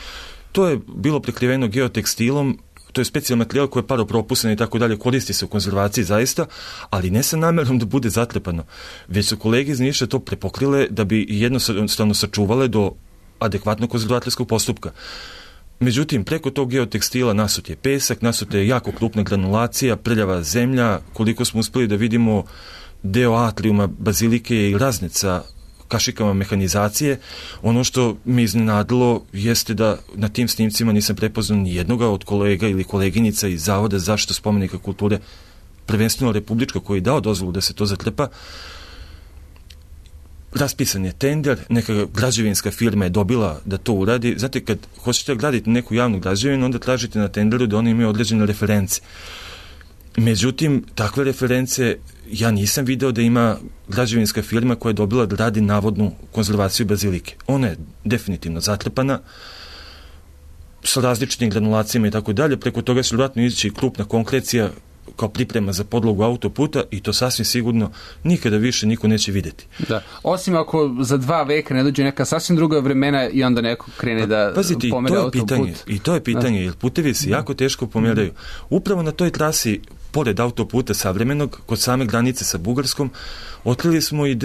to je bilo prekriveno geotekstilom, to je specijalni materijal koji je paropropusan i tako dalje, koristi se u konzervaciji zaista, ali ne sa namjerom da bude zatrpano, već su kolege iz Niša to prepokrile da bi jednostavno sačuvale do adekvatnog konzervatorskog postupka. Međutim, preko tog geotekstila nasut je pesak, nasut je jako krupna granulacija, prljava zemlja, koliko smo uspeli da vidimo deo atrijuma bazilike i raznica kašikama mehanizacije. Ono što me iznenadilo jeste da na tim snimcima nisam prepoznao ni jednoga od kolega ili koleginica iz Zavoda za zaštitu spomenika kulture, prvenstveno republička, koji je dao dozvolu da se to zatrpa. Raspisan je tender, neka građevinska firma je dobila da to uradi. Znate, kad hoćete graditi neku javnu građevinu, onda tražite na tenderu da oni imaju određene reference. Međutim, takve reference ja nisam video da ima građevinska firma koja je dobila da radi navodnu konzervaciju bazilike. Ona je definitivno zatrpana sa različitim granulacijama i tako dalje. Preko toga će vjerojatno ići krupna konkrecija kao priprema za podlogu autoputa i to sasvim sigurno nikada više niko neće vidjeti. Da. Osim ako za 2 veka ne dođe neka sasvim druga vremena i onda neko krene da pomere autoput. I to je pitanje, jer putevi se jako teško pomeraju. Upravo na toj trasi, pored autoputa savremenog, kod same granice sa Bugarskom, otkrili smo i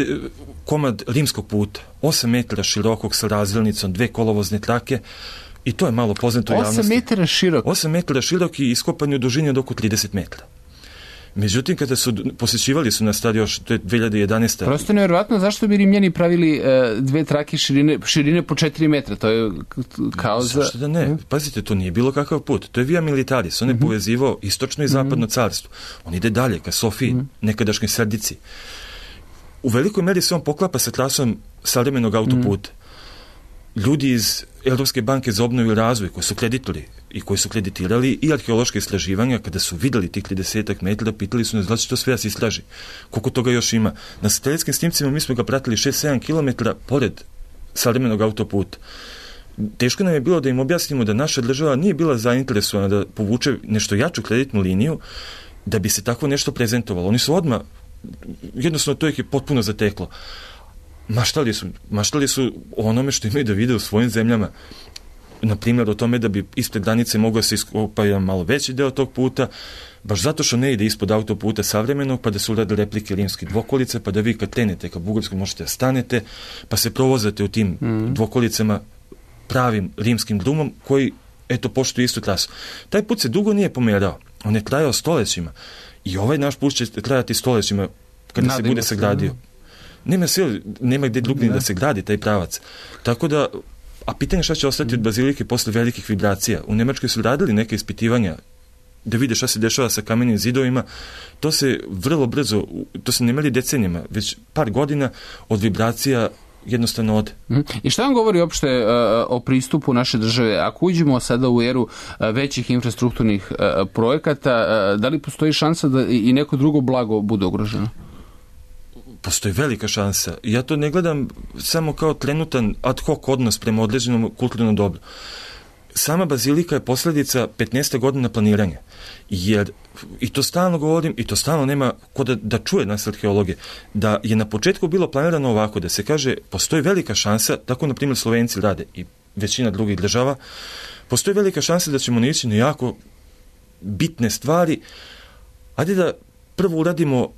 komad rimskog puta, 8 metara širokog sa razdelnicom, 2 kolovozne trake, i to je malo poznato javnosti. 8 metara širok? 8 metara širok i iskopan u dužini od oko 30 metara. Međutim, kada su posjećivali su nas tad još, to je 2011. Prosto nevjerovatno, zašto bi Rimljani pravili 2 trake širine po 4 metra? To je kao za... Zašto da ne? Pazite, to nije bilo kakav put. To je via militaris. On je povezivao istočno i zapadno carstvo. On ide dalje, ka Sofiji, nekadašnjoj Sredici. U velikoj meri se on poklapa sa trasom savremenog autoputa. Ljudi iz Europske banke za obnovu i razvoj, koji su kreditori i koji su kreditirali i arheološke istraživanja, kada su videli tih 30 metara, pitali su nas da će to sve da se istraži. Koliko toga još ima? Na satelitskim snimcima mi smo ga pratili 6-7 km pored savremenog autoputa. Teško nam je bilo da im objasnimo da naša država nije bila zainteresovana da povuče nešto jaču kreditnu liniju da bi se tako nešto prezentovalo. Oni su odmah, jednostavno to ih je potpuno zateklo. Maštali su o onome što imaju da vide u svojim zemljama. Na primjer, o tome da bi ispred granice mogao se iskopati jedan malo veći deo tog puta, baš zato što ne ide ispod autoputa savremenog, pa da su urade replike rimskih dvokolice, pa da vi kad krenete ka Bugarskoj možete da stanete, pa se provozate u tim dvokolicama pravim rimskim drumom koji, eto, poštuje istu trasu. Taj put se dugo nije pomerao. On je trajao stoljećima. I ovaj naš put će trajati stoljećima kada se bude sagradio. Nema gdje drugdje da se gradi taj pravac. Tako da, a pitanje šta će ostati od bazilike posle velikih vibracija. U Nemačkoj su radili neke ispitivanja da vide šta se dešava sa kamenim zidovima. To se vrlo brzo, to se ne meri decenijama, već par godina od vibracija jednostavno ode. I šta vam govori uopšte o pristupu naše države? Ako uđemo sada u eru većih infrastrukturnih projekata, da li postoji šansa da i neko drugo blago bude ugroženo? Postoji velika šansa. Ja to ne gledam samo kao trenutan ad hoc odnos prema određenom kulturnom dobru. sama bazilika je posljedica 15 godina planiranja. Jer, i to stalno govorim, i to stalno nema ko da čuje nas arheologe, da je na početku bilo planirano ovako, da se kaže, postoji velika šansa, tako na primjer Slovenci rade i većina drugih država, postoji velika šansa da ćemo naići na jako bitne stvari. Ajde da prvo uradimo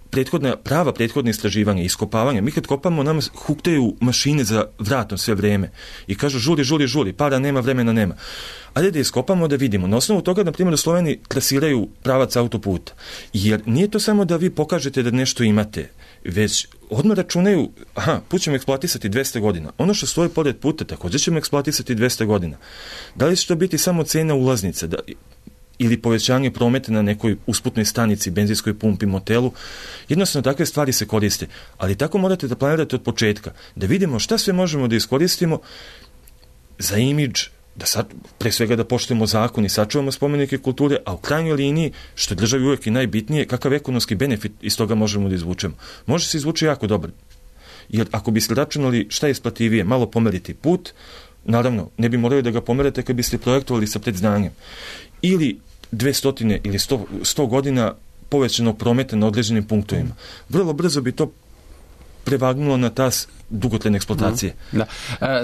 prava prethodne istraživanja, iskopavanja. Mi kad kopamo, nama huktaju mašine za vratom sve vreme i kažu žuri, para nema, vremena nema. Ajde da iskopamo, da vidimo. Na osnovu toga, na primjer, u Sloveniji trasiraju pravac autoputa. Jer nije to samo da vi pokažete da nešto imate, već odmah računaju, put ćemo eksploatisati 200 godina. Ono što stoji pored puta, također ćemo eksploatisati 200 godina. Da li će to biti samo cena ulaznice, ili povećanje prometa na nekoj usputnoj stanici, benzinskoj pumpi, motelu? Jednostavno, takve stvari se koriste. Ali tako morate da planirate od početka, da vidimo šta sve možemo da iskoristimo za imidž, pre svega da poštujemo zakon i sačuvamo spomenike kulture, a u krajnjoj liniji, što je državi uvijek i najbitnije, kakav ekonomski benefit iz toga možemo da izvučemo. Može se izvući jako dobro. Jer ako biste računali šta je isplativije, malo pomeriti put, naravno, ne bi morali da ga pomerate kad biste projektovali sa predznanjem. Ili 200 ili 100 godina povećanog prometa na određenim punktovima. Vrlo brzo bi to prevagnulo na tas dugotrajne eksploatacije. Da.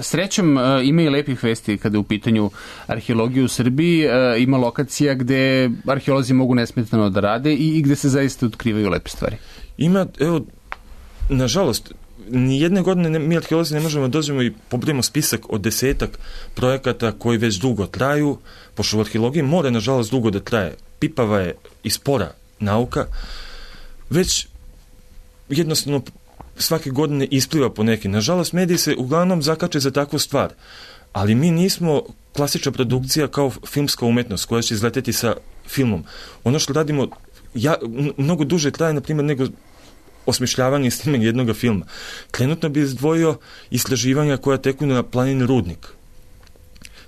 Srećom, ima i lepih vesti kada je u pitanju arheologije u Srbiji. Ima lokacija gde arheolozi mogu nesmetano da rade i gde se zaista otkrivaju lepe stvari. Ima, nažalost, nijedne godine mi arheolozi ne možemo da dođemo i pobrojimo spisak od 10 projekata koji već dugo traju, pošto u arheologiji mora, nažalost, dugo da traje. Pipava je i spora nauka, već jednostavno svake godine ispliva po neki. Nažalost, mediji se uglavnom zakače za takvu stvar, ali mi nismo klasična produkcija kao filmska umetnost koja će izleteti sa filmom. Ono što radimo mnogo duže traje, na primjer, nego osmišljavanje i snimanje jednog filma. Trenutno bi izdvojio istraživanja koja teku na planini Rudnik.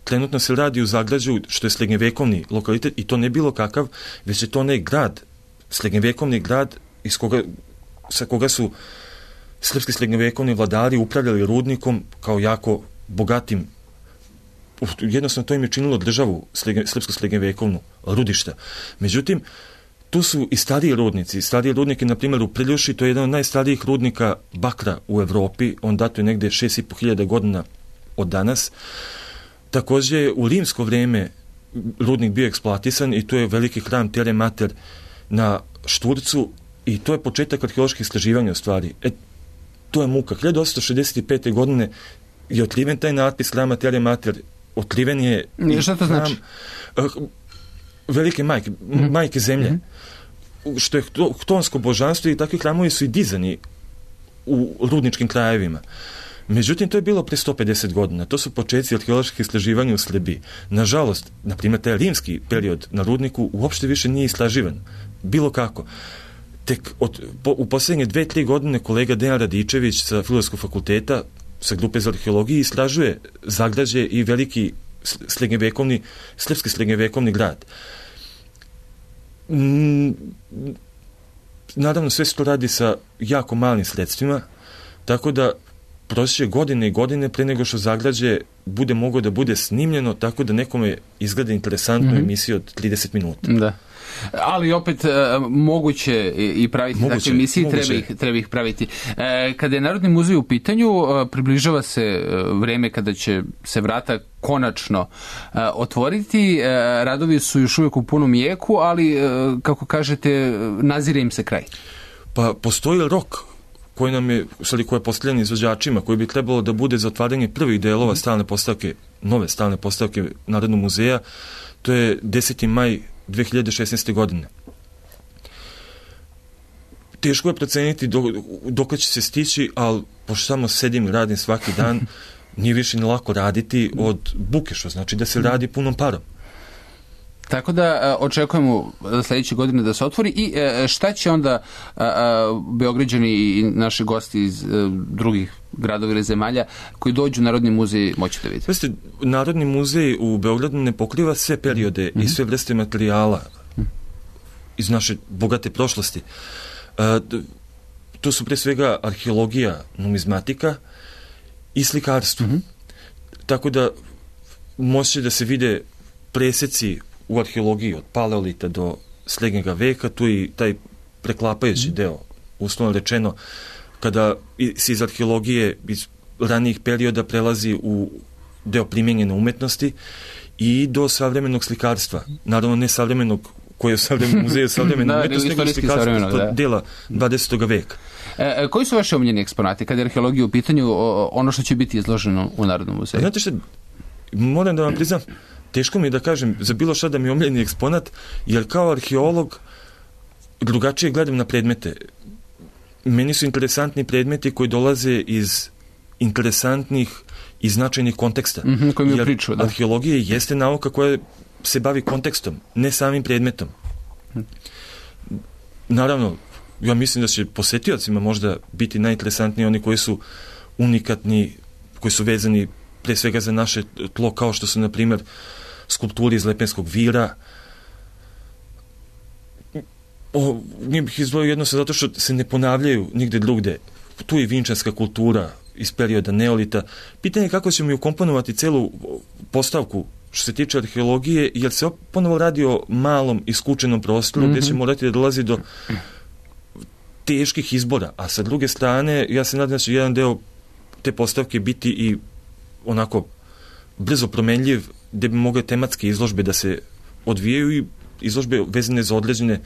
Trenutno se radi u Zagrađu, što je srednjevekovni lokalitet, i to ne bilo kakav, već je to onaj grad, srednjevekovni grad sa koga su srpski srednjevekovni vladari upravljali rudnikom kao jako bogatim. Jednostavno to im je činilo državu srpsko srednjevekovnu rudišta. Međutim, tu su i stariji rudnici. Stariji rudniki, na primjer, u Priljuši, to je jedan od najstarijih rudnika bakra u Evropi. On datuje negde 6.500 godina od danas. Također, u rimsko vrijeme rudnik bio eksploatisan i to je veliki hram Tere Mater na Šturcu i to je početak arheoloških istraživanja u stvari. To je muka. 1865. godine je otkriven taj natpis hrama Tere Mater. Otkriven je... Šta to znači? Velike majke zemlje, što je htonsko božanstvo, i takvi hramovi su i dizani u rudničkim krajevima. Međutim, to je bilo pre 150 godina. To su početci arheoloških istraživanja u Srbiji. Nažalost, na primjer, taj rimski period na rudniku uopšte više nije istraživan. Bilo kako. Tek u posljednje 2-3 godine kolega Dejan Radičević sa Filozofskog fakulteta, sa grupe za arheologiju, istražuje Zagrađe i veliki srpski srednjevekovni grad. Naravno, sve se to radi sa jako malim sredstvima, tako da proći godine i godine pre nego što Zagrađe bude moglo da bude snimljeno, tako da nekome izgleda interesantnu emisiju od 30 minuta. Da. Ali opet moguće i praviti takve emisije, treba ih praviti. Kada je Narodni muzej u pitanju, približava se vreme kada će se vrata konačno otvoriti. Radovi su još uvijek u punom jeku, ali kako kažete, nazire im se kraj. Pa postoji rok koji je postavljen izvođačima, koji bi trebalo da bude za otvaranje prvih delova nove stalne postavke Narodnog muzeja. To je 10. maj 2016. godine. Teško je proceniti dok će se stići, ali pošto samo sedim i radim svaki dan, nije više ni lako raditi od buke, što znači da se radi punom parom. Tako da očekujemo sljedeće godine da se otvori. I šta će onda Beograđani i naši gosti iz drugih gradova ili zemalja koji dođu u Narodni muzej moći da vidi? Pazite, Narodni muzej u Beogradu ne pokriva sve periode i sve vrste materijala iz naše bogate prošlosti. To su pre svega arheologija, numizmatika i slikarstvo. Tako da moći da se vide preseci u arheologiji od paleolita do srednjega veka, tu je i taj preklapajući deo, uslovno rečeno, kada se iz arheologije iz ranijih perioda prelazi u deo primjenjene umetnosti i do savremenog slikarstva. Naravno, ne savremenog koje je u savremenom muzeju savremene umetnosti, nego slikarstva dela 20. veka. Koji su vaše omiljeni eksponati kada je arheologija u pitanju, ono što će biti izloženo u Narodnom muzeju? Znate što, moram da vam priznam, teško mi je da kažem za bilo šta da mi je omiljeni eksponat, jer kao arheolog drugačije gledam na predmete. Meni su interesantni predmeti koji dolaze iz interesantnih i značajnih konteksta. Jer priču, da. Arheologija jeste nauka koja se bavi kontekstom, ne samim predmetom. Naravno, ja mislim da će posetiocima možda biti najinteresantniji oni koji su unikatni, koji su vezani pre svega za naše tlo, kao što su, na primjer, skulpturi iz Lepenskog vira. Nije bih izdvojio jednostavno zato što se ne ponavljaju nigde drugde. Tu je vinčanska kultura iz perioda neolita. Pitanje je kako ćemo ju komponovati celu postavku što se tiče arheologije, jer se ponovo radi o malom i skučenom prostoru gdje će morati da dolazi do teških izbora, a sa druge strane ja se nadam da će jedan deo te postavke biti i onako brzo promenljiv, gdje bi mogle tematske izložbe da se odvijaju i izložbe vezane za određene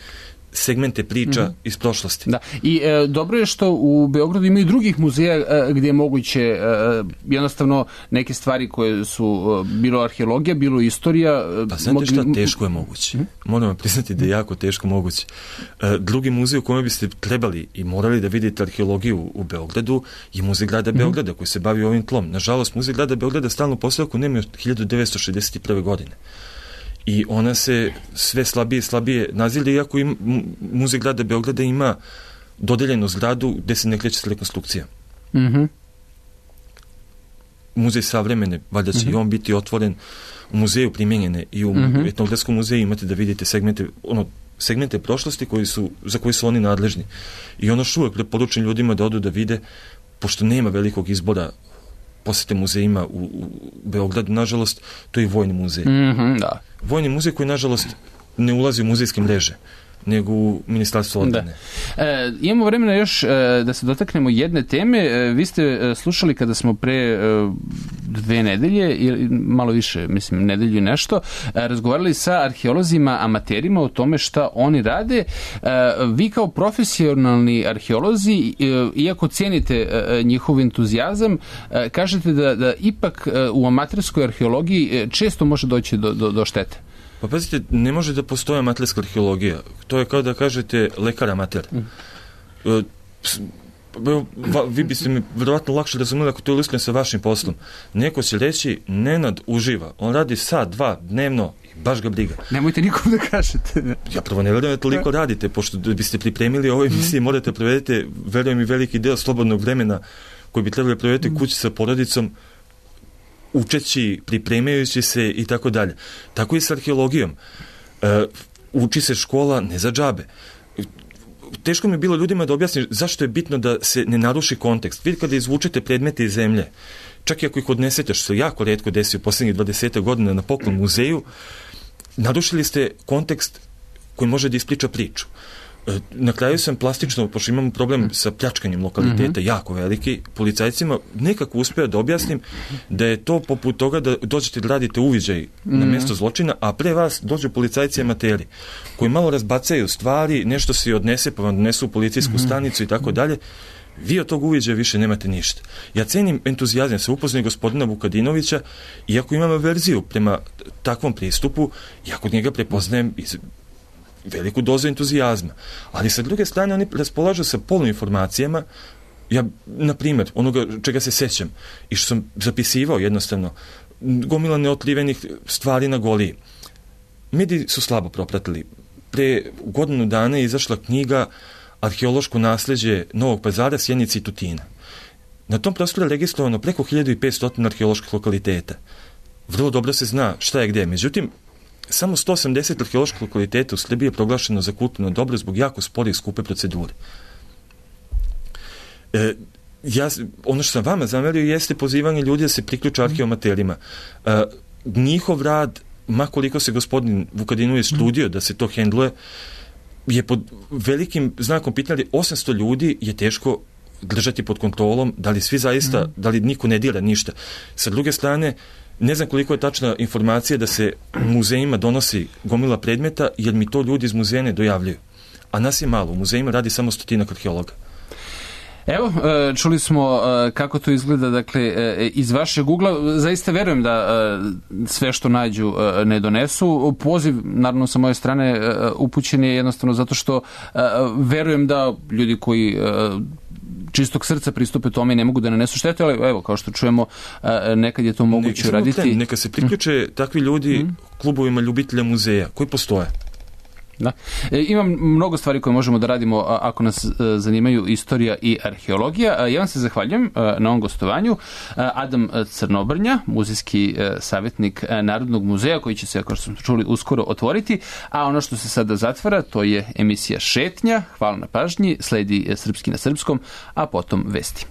segmente priča iz prošlosti. Da. I dobro je što u Beogradu ima i drugih muzeja gdje je moguće jednostavno neke stvari koje su bilo arheologija, bilo istorija. Pa znate šta, teško je moguće. Moram vam priznati da je jako teško moguće. Drugi muzej u kojem biste trebali i morali da vidite arheologiju u Beogradu je Muzej grada Beograda koji se bavi ovim tlom. Nažalost, Muzej grada Beograda stalno postavku nema od 1961. godine. I ona se sve slabije i slabije nazire, iako Muzej grada Beograda ima dodeljenu zgradu gde se ne kreće s rekonstrukcija. Muzej savremene, valjda će i on biti otvoren u muzeju primjenjene i u etnografskom muzeju imate da vidite segmente prošlosti za koje su oni nadležni. I ono što uvek preporučujem ljudima da odu da vide, pošto nema velikog izbora posete muzejima u Beogradu, nažalost, to je i Vojni muzej. Da. Vojni muzej koji, nažalost, ne ulazi u muzejske mreže, nego u Ministarstvo odbrane. Imamo vremena još da se dotaknemo jedne teme. Vi ste slušali kada smo pre 2 nedelje, ili malo više, mislim, nedelju i nešto, razgovarali sa arheolozima, amaterima o tome šta oni rade. Vi kao profesionalni arheolozi, iako cijenite njihov entuzijazam, kažete da ipak u amaterskoj arheologiji često može doći do štete. Pa pazite, ne može da postoji amaterska arheologija. To je kao da kažete lekar amater. Vi biste mi verovatno lakše razumeli ako to ilustrujem sa vašim poslom. Neko će reći, Nenad uživa. On radi sat, 2 dnevno i baš ga briga. Nemojte nikom da kažete. Ja prvo ne verujem da toliko radite, pošto da biste pripremili ovoj emisiji morate provedete, verujem i veliki deo slobodnog vremena koji bi trebali provedete kući sa porodicom, učeći, pripremajući se i tako dalje. Tako i s arheologijom. Uči se škola ne za džabe. Teško mi je bilo ljudima da objasnim zašto je bitno da se ne naruši kontekst. Vi kada izvučete predmete iz zemlje, čak i ako ih odnesete, što se jako retko desi u posljednjih 20 godina na poklon muzeju, narušili ste kontekst koji može da ispriča priču. Na kraju sam plastično, pošto imam problem sa pljačkanjem lokaliteta, jako veliki, policajcima nekako uspeo da objasnim da je to poput toga da dođete da radite uviđaj na mjesto zločina, a pre vas dođu policajci amateri koji malo razbacaju stvari, nešto se odnese pa vam donesu u policijsku stanicu i tako dalje. Vi od tog uviđaja više nemate ništa. Ja cenim entuzijazam, sam upoznao gospodina Vukadinovića, iako imam averziju prema takvom pristupu, ja kod njega prepoznajem veliku dozu entuzijazma. Ali sa druge strane oni raspolažu sa poluinformacijama. Ja, na primjer, onoga čega se sećam i što sam zapisivao jednostavno, gomila neotkrivenih stvari na Goliji. Mediji su slabo propratili. Pre godinu dana je izašla knjiga Arheološko nasleđe Novog Pazara, Sjenice i Tutina. Na tom prostoru je registrovano preko 1500 arheoloških lokaliteta. Vrlo dobro se zna šta je gde. Međutim, samo 180 arheoloških lokaliteta u Srbiji je proglašeno za kulturno dobro zbog jako spore i skupe procedure. Ono što sam vama zamerio jeste pozivanje ljudi da se priključe arheomaterima. Njihov rad makoliko se gospodin Vukadinović trudio da se to hendluje, je pod velikim znakom pitanja, 800 ljudi je teško držati pod kontrolom, da li svi zaista, da li niko ne dira ništa. Sa druge strane, ne znam koliko je tačna informacija da se muzejima donosi gomila predmeta, jer mi to ljudi iz muzeja ne dojavljaju. A nas je malo, u muzejima radi samo 100 arheologa. Evo, čuli smo kako to izgleda, dakle, iz vašeg ugla. Zaista verujem da sve što nađu ne donesu. Poziv, naravno, sa moje strane upućen je jednostavno zato što verujem da ljudi koji čistog srca pristupe tome i ne mogu da nanesu štetu, ali evo, kao što čujemo, nekad je to moguće uraditi. Neka se priključe takvi ljudi klubovima ljubitelja muzeja koji postoje. Da. Imam mnogo stvari koje možemo da radimo ako nas zanimaju istorija i arheologija. Ja vam se zahvaljujem na ovom gostovanju. Adam Crnobrnja, muzejski savjetnik Narodnog muzeja, koji će se, kao što smo čuli, uskoro otvoriti. A ono što se sada zatvara, to je emisija Šetnja. Hvala na pažnji. Sledi Srpski na srpskom, a potom vesti.